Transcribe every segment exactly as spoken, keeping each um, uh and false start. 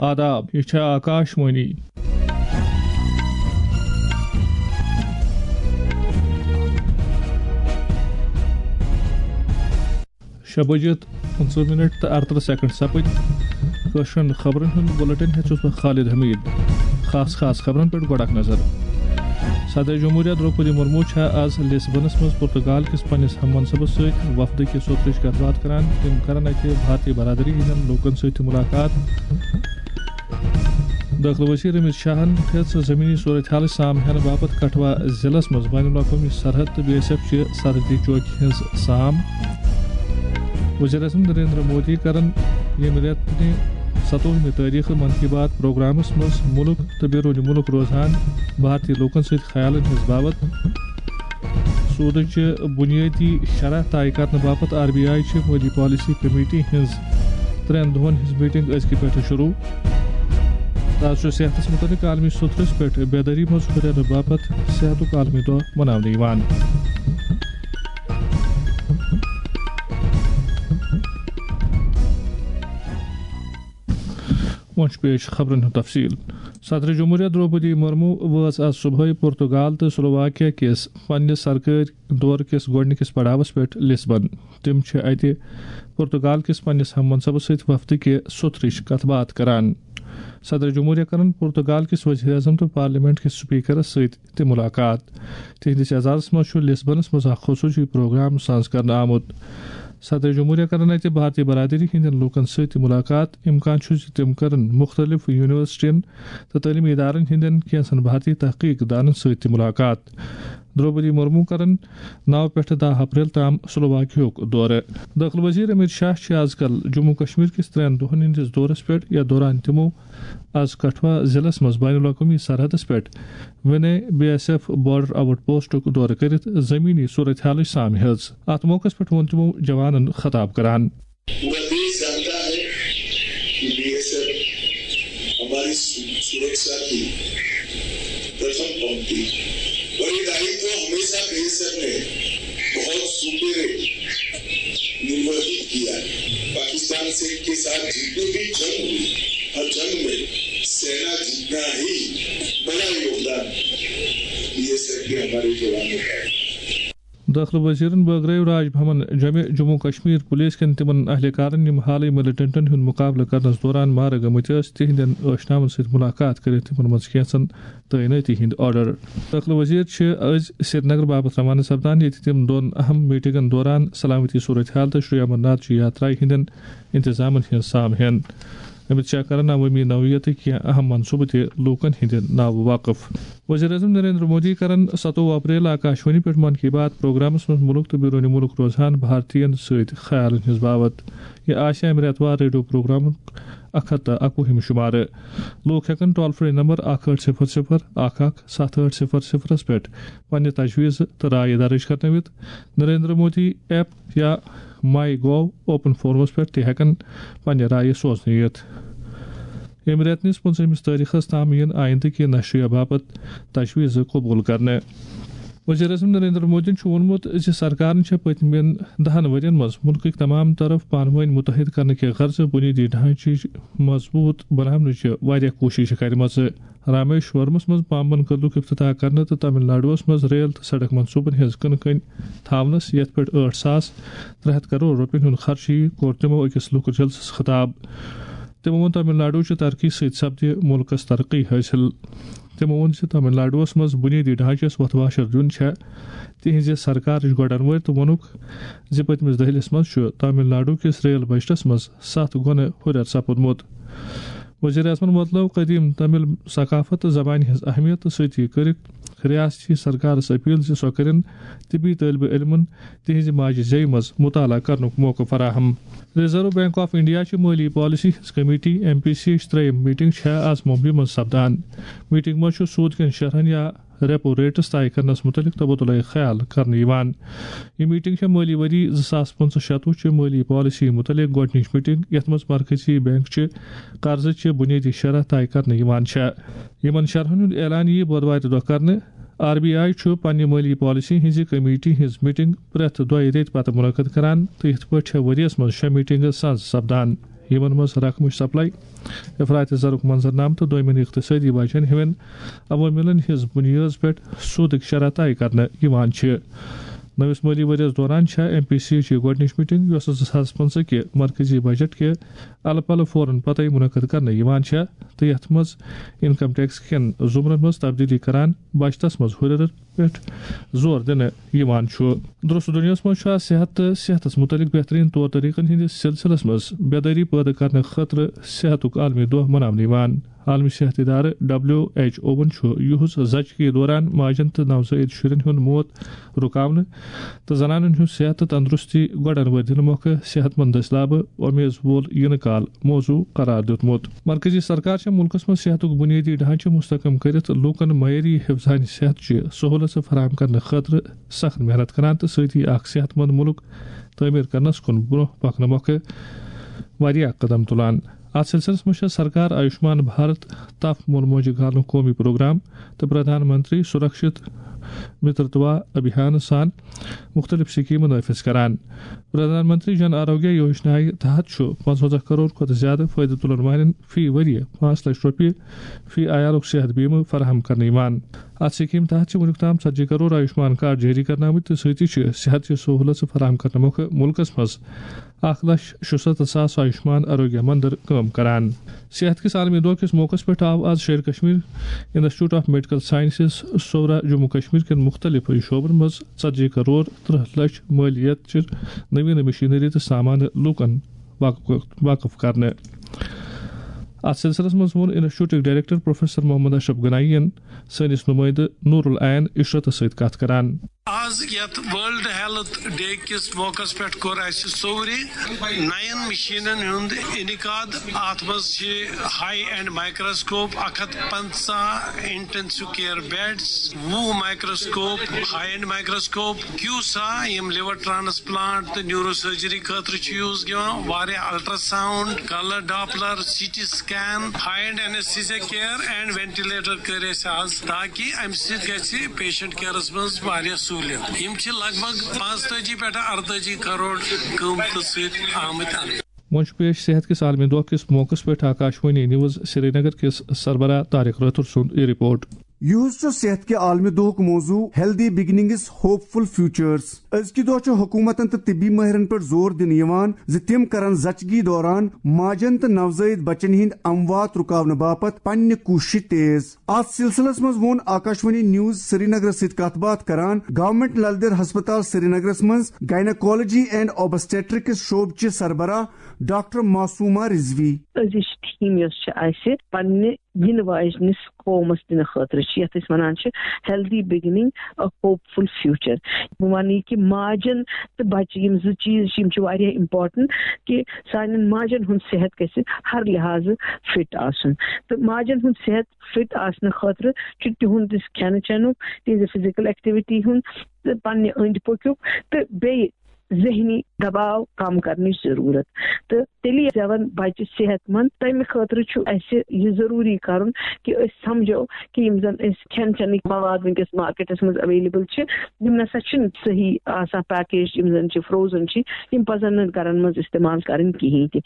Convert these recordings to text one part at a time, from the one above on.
آداب، یہِ چھےٚ آکاش وانی۔ شےٚ بجے تہٕ پٕنٛژٕہ منٹ تہٕ اَرترٕہ سیکنڈ سپٕدۍ۔ کٲشرٮ۪ن خبرن ہُنٛد بُلٹن ہیٚتھ چھُس بہٕ خالد حمید۔ خاص خاص خبرن پٮ۪ٹھ گۄڈٕ اکھ نظر۔ صدر جمہوریہ درٛوپدی مرمو چھےٚ آز لسبنس منٛز پرتگال کِس پننِس ہم منصبس سۭتۍ وفدٕ کہِ سوٚترٕچ کتھ باتھ کران۔ تِم کرن اتہِ بھارتی برادری ہٕنٛدٮ۪ن لوٗکن سۭتۍ تہِ مُلاقات۔ دٲخلہٕ وزیر امت شاہن ہیٚژ زمینی صورتحالٕچ سام ہینہٕ باپتھ کٹھوا ضلعس منٛز بین الاقوٲمی سرحد تہٕ بی ایس ایف چہِ سرحدی چوکہِ ہٕنٛز سام۔ وزیر اعظم نریندر مودی کرن ییٚمہِ رٮ۪تہٕ ستووُہمہِ تٲریخہٕ من کی بات پروگرامس منٛز مُلک تہٕ بیروٗنی مُلک روزان بھارتی لوٗکن سۭتۍ خیالن ہٕنٛز باوتھ۔ سودٕچہِ بُنیٲدی شرح طے کرنہٕ باپتھ آر بی آئی چھِ مٲلی پالیسی کمیٹی ہٕنٛز ترٛٮ۪ن دۄہن ہٕنٛز میٹنگ أزکہِ پٮ۪ٹھٕ شروع۔ تازٕ چھُ صحتس مُتعلق عالمی سوٚترس پٮ۪ٹھ بیدٲری منٛز ہُرٮ۪رنہٕ باپتھ صحتُک عالمی دۄہ مناونہٕ یِوان۔ وۄنۍ چھُ پیش خبرن ہُنٛد تفصیل۔ صدر جمہوریہ درٛوپدی مرمو وٲژ آز صبحٲے پرتگال تہٕ سلوواکیا کِس پننِس سرکٲرۍ دورٕ کِس گۄڈٕنِکِس پڑاوس پٮ۪ٹھ لسبن۔ تِم چھِ اتہِ پرتگال کِس پننِس ہم منصبس سۭتۍ وفدٕ کہِ سوٚترٕچ کتھ باتھ کران۔ صدر جمہوریہ کرن پرتگال کِس وزیر اعظم تہٕ پارلیمنٹ کِس سپیکرس سۭتۍ تہِ مُلاقات۔ تِہنٛدِس اعزازس منٛز چھُ لسبنس منٛز اکھ خصوٗصی پروگرام ساز کرنہٕ آمُت۔ صدر جمہوریہ کرن اتہِ بھارتی برادری ہٕنٛدٮ۪ن لوٗکن سۭتۍ تہِ مُلاقات۔ امکان چھُ زِ تِم کرن مُختٔلِف یونیورسٹین تہٕ تعلیمی ادارن ہٕنٛدٮ۪ن کینٛژن بھارتی تحقیق دانن سۭتۍ تہِ مُلاقات۔ درٛوپدی مرمو کرن نو پٮ۪ٹھٕ دَہ اپریل تام سلوواکیہُک دورٕ۔ دٲخلہٕ وزیر امت شاہ چھِ از کل جموں کشمیر کِس ترٛٮ۪ن دۄہن ہٕنٛدِس دورس پٮ۪ٹھ، یتھ دوران تِمو از کٹھوا ضلعس منٛز بین الاقوٲمی سرحدس پٮ۪ٹھ ونے بی ایس ایف بارڈر آؤٹ پوسٹُک دورٕ کٔرِتھ زمینی صورتحالٕچ سام ہیٚژ۔ اتھ موقعس پٮ۪ٹھ ووٚن تِمو جوانن خطاب کران۔ پورا دیش جانتا ہے کہ بی ایس ایف ہماری سو-، سرکشا کی پرتھم پنکتی اور یہ دائتو ہمیشہ بی ایس ایف نے بہت سپیرے نرواہت کیا ہے۔ پاکستان سے کے ساتھ جتنی بھی جنگ ہوئی، ہر جنگ میں سینا جتنا ہی بڑا یوگدان بی ایس ایف کے ہمارے جوانوں کا ہے۔ دٲخلہٕ وزیرن بٲگرٲو راج بھون جمہِ جموں کشمیر پولیس کٮ۪ن تِمن اہلکارن، یِم حالٕے ملیٹنٹن ہُنٛد مُقابلہٕ کرنس دوران مارٕ گٔمٕتۍ ٲسۍ، تِہنٛدٮ۪ن ٲشناون سۭتۍ مُلاقات کٔرِتھ تِمن منٛز کینٛژن تعینٲتی ہٕنٛدۍ آرڈر۔ دٲخلہٕ وزیر چھِ أزۍ سرینگر باپتھ روانہٕ سپدان، ییٚتہِ تِم دۄن اہم میٹنگن دوران سلامتی صورتحال تہٕ شری امرناتھ جی یاترایہِ ہٕنٛدٮ۪ن انتظامن ہٕنٛز سام ہٮ۪ن۔ امت شاہ کرن عوٲمی نوعیتٕکۍ کینٛہہ اہم منصوبہٕ تہِ لوٗکن ہٕنٛدِ ناوٕ وقف۔ وزیر اعظم نریندر مودی کرن ستووُہ اپریل آکاشوانی پٮ۪ٹھ من کی بات پروگرامس منٛز مُلک تہٕ بیروٗنی مُلک روزان بھارتین سۭتۍ خیالن ہٕنٛز باوتھ۔ یہِ آسہِ امہِ رٮ۪تہٕ وار ریڈیو پروگرامُک اکھ ہتھ تہٕ اکوُہِم شمارٕ۔ لوٗکھ ہٮ۪کن ٹول فری نمبر اکھ ٲٹھ صفر صفر اکھ اکھ ستھ ٲٹھ صفر صفرس پٮ۪ٹھ پننہِ تجویٖزٕ تہٕ رایہِ درٕج کرنٲوِتھ۔ نریندر مودی ایپ یا مائی گوو اوپن فورمس پٮ۪ٹھ تہِ ہٮ۪کن پننہِ رایہِ سوزنہٕ یِتھ۔ ییٚمہِ رٮ۪تہٕ نِس پٕنٛژٕہمِس تٲریخس تام یِن آیندٕ کہِ نشریہ باپتھ تجویٖزٕ قبول کرنہٕ۔ وزیر اعظم نریندر مودیَن چھُ ووٚنمُت زِ سرکارن چھےٚ پٔتمٮ۪ن دَہَن ؤرین منٛز مُلکٕکۍ تمام طرف پانہٕ وٲنۍ مُتحد کرنہٕ کہِ غرضہٕ بُنیٲدی ڈھانچٕچ مضبوٗط بناونٕچہِ واریاہ کوٗششہٕ کرِمژٕ۔ رامیشورمس منٛز پامبن کدلُک افتتاح کرنہٕ تہٕ تامل ناڈوَس منٛز ریل تہٕ سڑک منصوبن ہٕنٛز کٕنہٕ کٔنۍ تھاونس، یتھ پٮ۪ٹھ ٲٹھ ساس ترٛےٚ ہتھ کرور رۄپین ہُنٛد خرچہٕ یِیہِ، کوٚر تِمو أکِس لُکہٕ جلسس خطاب۔ تِمو ووٚن تامل ناڈوچہِ ترقی سۭتۍ سپدِ مُلکس ترقی حٲصِل۔ تِمو ووٚن زِ تامل ناڈوَس منٛز بُنیٲدی ڈھانچس وۄتھٕ واشر دیُن چھےٚ تِہنٛزِ سرکارٕچ گۄڈن وٲرۍ تہٕ ووٚنُکھ زِ پٔتمِس دٔہلِس منٛز چھُ تامل ناڈو کِس ریل بجٹس منٛز ستھ گۄنہٕ ہُرٮ۪ر سپُدمُت۔ وزیر اعظمن وۄتلٲو قدیم تامل ثقافت تہٕ زبانہِ ہٕنٛز اہمیت تہٕ سۭتی کٔرٕکھ ریاستی سرکارس اپیل زِ سۄ کٔرِن طبی طٲلبہِ علمن تِہنٛزِ ماجہِ زیوِ منٛز مطالعہ کرنُک موقعہٕ فراہم۔ ریزرو بینک آف انڈیا چہِ مٲلی پالیسی ہٕنٛز کمیٹی، ایم پی سی، ہٕچ ترٛیٚیِم میٹنگ چھےٚ آز ممبئی منٛز سپدان۔ میٹنگ منٛز چھُ سود کٮ۪ن شرحن یا ریپو ریٹس طے کرنس متعلق تبادلہ خیال کرنہٕ یِوان۔ یہِ میٹنگ چھےٚ مٲلی ؤری زٕ ساس پٕنٛژٕہ شتوُہ چہِ مٲلی پالیسی متعلق گۄڈٕنِچ میٹنگ، یتھ منٛز مرکزی بینک چہِ قرضٕچہِ بُنیٲدی شرح طے کرنہٕ یِوان چھےٚ۔ یِمن شرحن ہُنٛد اعلان یِیہِ بۄدوارِ دۄہ کرنہٕ۔ آر بی آئی چھُ پننہِ مٲلی پالیسی ہٕنٛزِ کمیٹی ہٕنٛز میٹنگ پرٛٮ۪تھ دۄیہِ ریتہِ پتہٕ منعقد کران تہٕ یِتھ پٲٹھۍ چھےٚ ؤرۍ یَس منٛز شےٚ میٹنگہٕ ساز سپدان۔ یِمن منٛز رقمٕچ سپلائی، افراط زرُک منظرنامہٕ تہٕ دوٚیمٮ۪ن اقتصٲدی وجہن ہِوٮ۪ن عواملن ہٕنٛز بُنیٲدس پٮ۪ٹھ سوٗدٕکۍ شرح طے کرنہٕ یِوان چھِ۔ نٔوِس مٲلی ؤرِیَس دوران چھےٚ ایم پی سی یٕچ یہِ گۄڈٕنِچ میٹنگ، یۄس زٕ ساس پٕنٛژٕہ کہِ مرکزی بجٹ کہِ الہٕ پلہٕ فوراً پتَے منعقد کرنہٕ یِوان چھےٚ تہٕ یَتھ منٛز انکم ٹیکس کٮ۪ن زُمرن منٛز تبدیلی کران بچتس منٛز ہُرٮ۪ر پٮ۪ٹھ زور دِنہٕ یِوان چھُ۔ درست دُنیاہَس منٛز چھُ آز صحت تہٕ صحتَس مُتعلِق بہتریٖن طور طریٖقَن ہٕنٛدِس سلسلس منٛز بیدٲری پٲدٕ کرنہٕ خٲطرٕ صحتُک عالمی دۄہ مناونہٕ یِوان۔ عالمی صحت ادارٕ ڈبلیو ایچ اوَن چھُ یُہُس زچگی دوران ماجن تہٕ نوزٲیِد شُرٮ۪ن ہُنٛد موت رُکاونہٕ تہٕ زنانن ہُنٛد صحت تہٕ تندرستی گۄڈن وٲتۍ دِنہٕ مۄکھٕ صحت مند دٔسلابہٕ امیز وول یِنہٕ کال موضوع قرار دیُتمُت۔ مرکزی سرکار چھےٚ مُلکس منٛز صحتُک بُنیٲدی ڈھانچہٕ مستحکم کٔرِتھ لوٗکن معیٲری حفظانِ صحت چہِ سہوٗلژٕ فراہم کرنہٕ خٲطرٕ سخت محنت کران تہٕ سۭتی اکھ صحت مند مُلک تعمیٖر کرنس کُن برٛونٛہہ پکنہٕ مۄکھٕ واریاہ قدم تُلان۔ اتھ سلسلس منٛز چھےٚ سرکار آیوشمان بھارت تپھ مول موجہِ گالنُک قومی پروگرام تہٕ پردھان منتری سُرکشت مترتوا ابھیان سان مُختٔلِف سکیٖمہٕ نٲفذ کران۔ پردھان منتری جن آروگیہ یوجنایہِ تحت چھُ پانٛژوَنٛزاہ کرور کھۄتہٕ زیادٕ فٲیدٕ تُلَن والٮ۪ن فی ؤرۍ یہِ پانٛژھ لچھ رۄپیہِ فی عیالُک صحت بیمہٕ فراہم کرنہٕ یِوان۔ اتھ سکیٖم تحت چھِ وُنیُک تام ژتجی کرور آیوشمان کارڈ جٲری کرنہٕ آمٕتۍ تہٕ سۭتی چھِ صحت چہِ سہوٗلژٕ فراہم کرنہٕ مۄکھٕ مُلکس منٛز اکھ لچھ شُسَتتھ ساس آیوشمان آروگیہ مندر کٲم کران۔ صحت کِس عالمی دۄہ کِس موقعس پٮ۪ٹھ آو آز Sher Kashmir institute of medical sciences Soura Jammu Kashmir کٮ۪ن مُختٔلِف شعبن منٛز ژتجی کرور ترٕٛہ لچھ مٲلیت چہِ نوین مشینری تہٕ سامانہٕ لوٗکن واقف، واقف کرنہٕ۔ اتھ سلسلس منٛز ووٚن انسٹیٹیوٹٕکۍ ڈائریکٹر پروفیسر محمد اشرف گنایی یَن سٲنِس نُمٲیندٕ نور العین عشرتس سۭتۍ کتھ کران۔ آز یتھ ورلڈ ہیلتھ ڈے کِس موقعس پٮ۪ٹھ کوٚر اسہِ سورِ نَین مشینن ہُنٛد انعقاد۔ اتھ منٛز چھِ ہائی اینڈ مائیکروسکوپ، اکھ ہتھ پنژاہ انٹینسو کیئر بیڈز، وُہ microscope, high end microscope, CUSA, یِم لیور ٹرانسپلانٹ تہٕ نیورو سرجری خٲطرٕ چھِ یوز گژھان، واریاہ ultrasound, colour doppler, C T scan, high end anaesthesia care and ventilator کٔرۍ اسہِ آز، تاکہِ امہِ سۭتۍ گژھِ پیشنٹ کیئرس منٛز واریاہ سہولیت۔ یِم چھِ لگ بگ پانٛژتٲجی پٮ۪ٹھ ارتٲجی کرور قۭمتہٕ سۭتۍ آمٕتۍ اننہٕ۔ وۄنۍ چھُ پیش صحت کِس عالمی دۄہ کِس موقعس پٮ۪ٹھ آکاشوانی نیوز سرینگر کِس سربراہ طارق رٲتھر سُنٛد یہِ رپورٹ۔ یُہُس چھُ صحت کہِ عالمی دۄہُک موضوع Healthy Beginnings, Hopeful Futures۔ أزکہِ دۄہ چھُ حکوٗمتن تہٕ طبی مٲہرن پٮ۪ٹھ زور دِنہٕ یِوان زِ تِم کرن زچگی دوران ماجن تہٕ نوزٲیِد بچن ہٕنٛدۍ اموات رُکاونہٕ باپتھ پننہِ کوٗششہٕ تیز۔ اتھ سلسلس منٛز ووٚن آکاشوانی نیوز سرینگرس سۭتۍ کتھ باتھ کران گورنمنٹ لل دٮ۪د ہسپتال سرینگرس منٛز گائناکالوجی اینڈ اوبسٹیٹرکس شعبہٕ چہِ سربراہ ڈاکٹر معصومہ رضوی۔ أزِچ تھیم یۄس چھِ اَسہِ پننہِ یِنہٕ واجنِس قومس دِنہٕ خٲطرٕ چھِ، یَتھ أسۍ وَنان چھِ Healthy Beginning, a Hopeful Future۔ بہٕ وَنہٕ یہِ کہِ ماجن تہٕ بچہٕ، یِم زٕ چیٖز چھِ، یِم چھِ واریاہ امپورٹنٹ، کہِ سانٮ۪ن ماجن ہُنٛد صحت گژھِ ہر لحاظہٕ فٹ آسُن۔ تہٕ ماجن ہُنٛد صحت فٹ آسنہٕ خٲطرٕ چھُ تِہُنٛد یُس کھٮ۪نہٕ چٮ۪نُک، تِہنٛزِ فزیکل ایکٹیویٹی ہُنٛد تہٕ پننہِ أنٛدۍ پوٚکیُک تہٕ بیٚیہِ ذہنی دباو کم کرنٕچ ضروٗرت۔ تہٕ تیٚلہِ زٮ۪وَن بچہِ صحت مند۔ تمہِ خٲطرٕ چھُ اسہِ یہِ ضروٗری کرُن کہِ أسۍ سمجھو کہِ یِم زن أسۍ کھٮ۪ن چٮ۪نٕکۍ مواد وٕنکیٚس مارکیٹس منٛز اویلیبل چھِ، یِم نسا چھِنہٕ صحیح آسان پیکیج، یِم زن چھِ فروزن چھِ، یِم پزن نہٕ گرن منٛز استعمال کرٕنۍ کِہیٖنۍ تہِ۔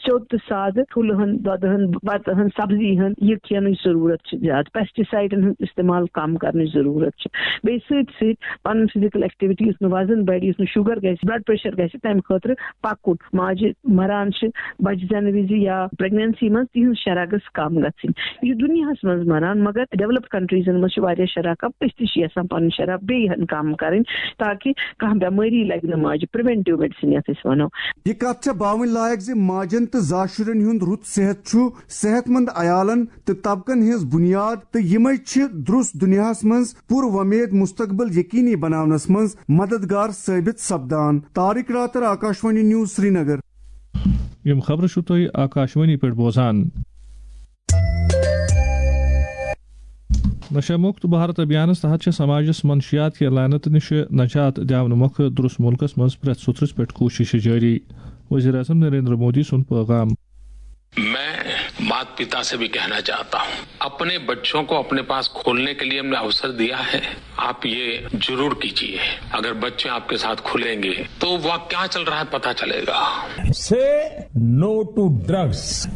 سیوٚد تہٕ سادٕ ٹھوٗلہٕ ہن، دۄدٕ ہن، بتہٕ ہن، سبزی ہن، یہِ کھٮ۪نٕچ ضروٗرت چھِ زیادٕ۔ پیسٹی سایڈن ہُنٛد استعمال کم کرنٕچ ضروٗرت چھِ۔ بیٚیہِ سۭتۍ سۭتۍ پنُن فزیکل ایکٹیویٹی، یُتھ نہٕ وزن بڑِ، یُتھ نہٕ شُگر گژھِ، بلڈ پریشر گژھِ، تمہِ خٲطرٕ پکُن۔ ماجہِ مران چھِ، بچہِ زٮ۪نہٕ وِزِ یا پریگننسی منٛز، تِہنٛز شرح گٔژھ کم گژھٕنۍ۔ یہِ چھُ دُنیاہس منٛز مران، مگر ڈیولپڈ کنٹریزن منٛز چھِ واریاہ شرح کم۔ أسۍ تہِ چھِ یژھان پنٕنۍ شرح بیٚیہِ ہن کم کرٕنۍ، تاکہِ کانٛہہ بٮ۪مٲری لگہِ نہٕ ماجہِ، پریونٹیو میڈیسن یتھ أسۍ ونو۔ یہِ کتھ چھےٚ باوٕنۍ لایق زِ ماجن تہٕ زاشُرٮ۪ن ہُنٛد رُت صحت چھُ صحت مند عیالن تہٕ طبقن ہٕنٛز بُنیاد، تہٕ یِمے چھِ درُس دُنیاہس منٛز پُر وۄمید مستقبل یقینی بناونس منٛز مددگار ثٲبت سپدان۔ طارق راتر، آکاشوانی نیوز، سرینگر۔ یِم خبرٕ چھِو تُہۍ آکاشوانی پٮ۪ٹھ بوزان۔ نشہ مکت بھارت ابھیانس تحت چھِ سماجس منشیات کہِ لعنت نِش نجات دِنہٕ مۄکھٕ درُس مُلکس منٛز پرٛٮ۪تھ سُترس پٮ۪ٹھ کوٗشش جٲری۔ وزیر اعظم نریندر مودی سُنٛد پیغام۔ میں माता पिता से भी कहना चाहता हूँ, अपने बच्चों को अपने पास खोलने के लिए हमने अवसर दिया है, आप ये जरूर कीजिए। अगर बच्चे आपके साथ खुलेंगे तो वह क्या चल रहा है पता चलेगा। Say no to drugs.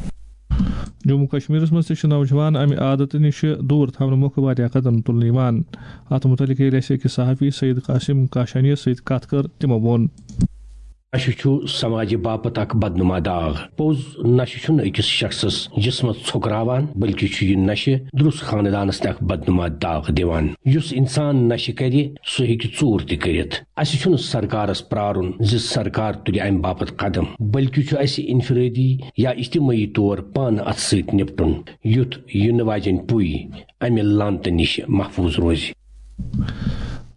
Jammu کشمیرس منٛز تہِ چھِ نوجوان امہِ عادتہٕ نِش دوٗر تھاونہٕ مۄکھٕ واریاہ قدم تُلنہٕ یِوان۔ اتھ مُتعلق ییٚلہِ اسہِ أکِس صحافی سعید قاسم کاشانیَس سۭتۍ کتھ کٔر، تِمو ووٚن۔ نشہٕ چھُ سماجہِ باپتھ اکھ بدنما داغ۔ پوٚز، نشہٕ چھُنہٕ أکِس شخصس جسمس ژھۄکراوان، بلکہِ چھُ یہِ نشہٕ درُس خاندانس تہِ اکھ بدنما داغ دِوان۔ یُس انسان نشہٕ کرِ، سُہ ہیٚکہِ ژوٗر تہِ کٔرِتھ۔ اسہِ چھُنہٕ سرکارس پرارُن زِ سرکار تُلہِ امہِ باپتھ قدم، بلکہِ چھُ اسہِ انفرٲدی یا اجتمٲعی طور پانہٕ اتھ سۭتۍ نپٹُن، یُتھ یِنہٕ واجٮ۪ن پُے امہِ لعنتہٕ نِش محفوظ روزِ۔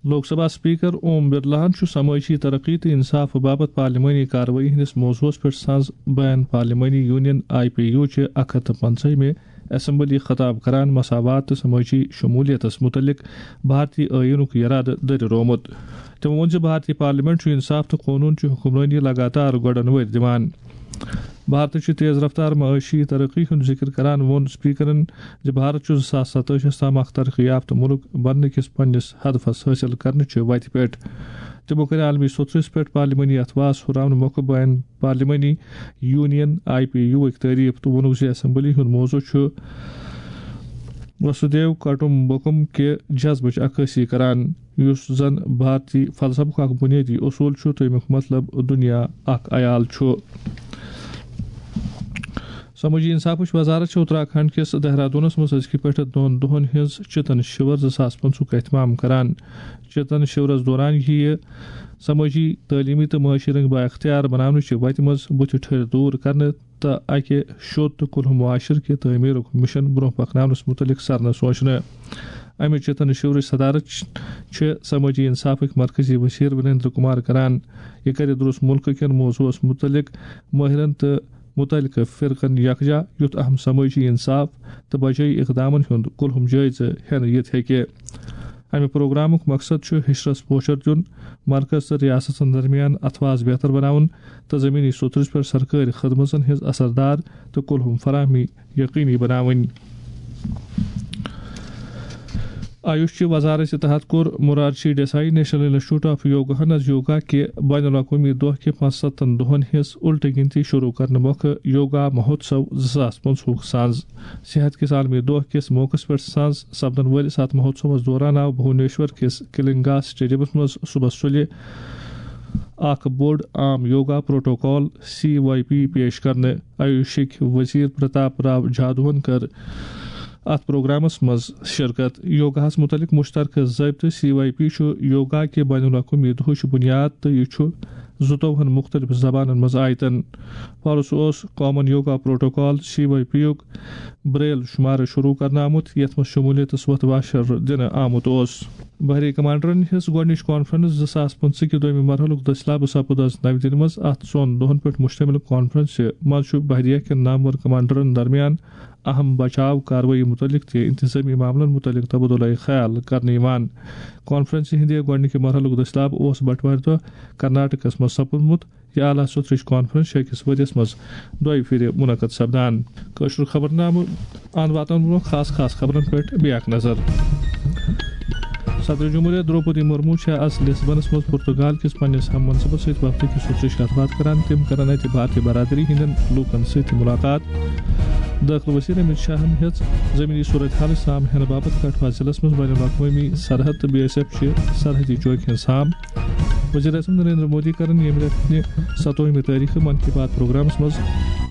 لوک سبھا اسپیکر اوم برلاہن چھُ سمٲجی ترقی تہٕ انصاف باپتھ پارلیمانی کاروٲیی ہٕنٛدِس موضوعس پٮ۪ٹھ سنٛز بین پارلیمانی یونین آئی پی یو چہِ اکھ ہتھ تہٕ پنٛژاہمہِ اسمبلی خطاب کران مساوات تہٕ سمٲجی شمولیتس متعلق بھارتی ٲییٖنُک یرادٕ دٔرِ روومُت۔ تٔمۍ ووٚن زِ بھارتی پارلیمنٹ چھُ انصاف تہٕ قونوٗن چہِ حکمرٲنی لگاتار گۄڈن ؤرۍ دِوان۔ بھارتٕچ تیز رفتار معاشی ترقی ہُنٛد ذکر کران ووٚن اسپیکرن زِ بھارت چھُ زٕ ساس ستٲجیَس تام اکھ ترقی یافتہٕ مُلک بننہٕ کِس پننِس ہدفس حٲصِل کرنہٕ چہِ وتہِ پٮ۪ٹھ۔ تِمو کٔر عالمی سوٚتھرِس پٮ۪ٹھ پارلیمانی اتھواس ہُراونہٕ مۄکھٕ بین پارلیمانی یونین آئی پی یو وٕکۍ تعریف تہٕ ووٚنُکھ زِ اسمبلی ہُنٛد موضوع چھُ وسودھیو کٹمبکم کہِ جذبٕچ عکٲسی کران، یُس زن بھارتی فلسفُک اکھ بُنیٲدی اصوٗل چھُ تہٕ اَمیُک مطلب دُنیا اکھ عیال چھُ۔ سمٲجی انصافٕچ وزارت چھِ اتراکھنڈ کِس دہرادونس منٛز أزکہِ پٮ۪ٹھٕ دۄن دۄہن ہٕنٛز چتن شِور زٕ ساس پٕنٛژٕہُک اہتمام کران۔ چتن شِورس دوران یِیہِ سمٲجی، تعلیمی تہٕ معاشی رنگ بااختیار بناونٕچہِ وتہِ منٛز بُتھِ ٹھٔرۍ دوٗر کرنہٕ تہٕ اکہِ شوٚد تہٕ کُلہُم معاشرٕ کہِ تعمیرُک مشن برونٛہہ پکناونس متعلق سرنہٕ سوچنہٕ۔ امہِ چتن شِورٕچ صدارت چھِ سمٲجی انصافٕکۍ مرکزی وزیر وریندر کمار کران۔ یہِ کرِ درُس مُلکہٕ کٮ۪ن موضوعس متعلق مٲہرن تہٕ متعلقہٕ فرقن یکجا، یُتھ اہم سمٲجی انصاف تہٕ بجٲیی اقدامن ہُنٛد کُلہُم جٲیزٕ ہٮ۪نہٕ یِتھ ہیٚکہِ۔ امہِ پروگرامُک مقصد چھُ ہشرس پوچھر دیُن، مرکز تہٕ ریاستن درمیان اتھواس بہتر بناوُن تہٕ زمینی سوٚتھرِس پٮ۪ٹھ سرکٲرۍ خدمژن ہٕنٛز اثردار تہٕ کُلہُم فراہمی یقینی بناوٕنۍ۔ آیوش چہِ وزارت تحت کوٚر Morarji Desai national institute of یوگاہن از یوگا کہِ بین الاقوٲمی دۄہ کہِ پانٛژستتھن دۄہن ہٕنٛز الٹہٕ گنتی شروع کرنہٕ مۄکھٕ یوگا مہوتسو زٕ ساس پٕنٛژٕہُک سنٛز۔ صحت کِس عالمی دۄہ کِس موقعس پٮ۪ٹھ سنٛز سپدن وٲلِس اتھ مہوتسوس دوران آو بھونیشور کِس کلنگا اسٹیڈیمس منٛز صبحس سُلہِ اکھ بوٚڑ عام yoga protocol, C Y P, پیش کرنہٕ۔ آیوشٕکۍ وزیر پرتاپ راو جادوہن کٔر اتھ پروگرامس منٛز شرکت۔ یوگاہس متعلق مشترکہٕ ضٲبطہٕ، سی وائی پی، چھُ یوگا کہِ بین الاقوٲمی دۄہٕچ بنیاد تہٕ یہِ چھُ زٕتووُہن مختلف زبانن منٛز آیتن۔ پرُس اوس common yoga protocol, C Y P, یُک بریل شمارٕ شروع کرنہٕ آمُت، یتھ منٛز شمولیتس وۄتھ واشر دِنہٕ آمُت اوس۔ بحری کمانڈرن ہٕنٛز گۄڈٕنِچ کانفرنس زٕ ساس پٕنٛژٕہ کہِ دوٚیمہِ مرحلُک دٔسلابہٕ سپُد از نَوِ دِلہِ منٛز۔ اتھ ژۄن دۄہن پٮ۪ٹھ مشتمل کانفرنسہِ منٛز چھُ بحریہ کٮ۪ن نامور کمانڈرن درمیان اہم بچاو کاروٲیی متعلق تہٕ انتظامی معاملن متعلق تبادلہ خیال کرنہٕ یِوان۔ کانفرنسہِ ہٕنٛدِ گۄڈٕنِکہِ مرحلُک دٔسلابہٕ اوس بٹوارِ دۄہ کرناٹکس منٛز سپُدمُت۔ یہِ اعلیٰ سطحٕچ کانفرنس چھِ أکِس ؤرِیَس منٛز دۄیہِ پھِرِ منعقد سپدان۔ کٲشُر خبرنامہٕ اَنٛد واتنہٕ برٛونٛہہ خاص خاص خبرن پٮ۪ٹھ بیٚیہِ اکھ نظر۔ صدر جمہوریہ درٛوپدی مرمو چھےٚ از لسبنس منٛز پرتگال کِس پننِس ہم منصبس سۭتۍ وفدٕ کِس سوٚژرِچ کتھ باتھ کران۔ تِم کرن اتہِ بھارتی برادری ہٕنٛدٮ۪ن لوٗکن سۭتۍ تہِ مُلاقات۔ دٲخلہٕ وزیر امت شاہن ہیٚژ زمینی صورتحالٕچ سام ہینہٕ باپتھ کٹھوا ضلعس منٛز بین الاقوٲمی سرحد تہٕ بی ایس ایف چہِ سرحدی چوکہِ ہٕنٛز سام۔ وزیر اعظم نریندر مودی کرن ییٚمہِ رٮ۪تہٕ ستووُہمہِ تٲریخہٕ من کی بات پروگرامس منٛز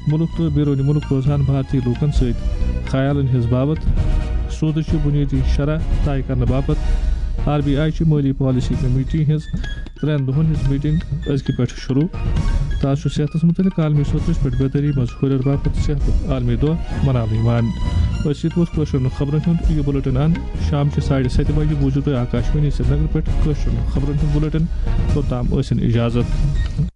مُلک تہٕ بیروٗنی مُلک روزان بھارتی لوٗکن سۭتۍ خیالن ہٕنٛز باوتھ سودٕچہِ بُنیٲدی شرح طے کرنہٕ باپتھ آر بی آئی چہِ مٲلی پالیسی کمیٹی ہٕنٛز ترٛٮ۪ن دۄہن ہٕنٛز میٹنگ أزکہِ پٮ۪ٹھ شروع۔ تہٕ از چھُ صحتس مُتعلق عالمی سطحس پٮ۪ٹھ بیدٲری منٛز ہُرٮ۪ر باپتھ صحتُک عالمی دۄہ مناونہٕ یِوان۔ أتھۍ سۭتۍ ووت کٲشرٮ۪ن خبرن ہُنٛد یہِ بُلٹن اند۔ شام چہِ ساڑِ ستہِ بجہِ بوٗزِو تُہۍ آکاشوانی سرینگر پٮ۪ٹھ کٲشرٮ۪ن خبرن ہُنٛد بُلٹن۔ توٚتام ٲسِن اجازت۔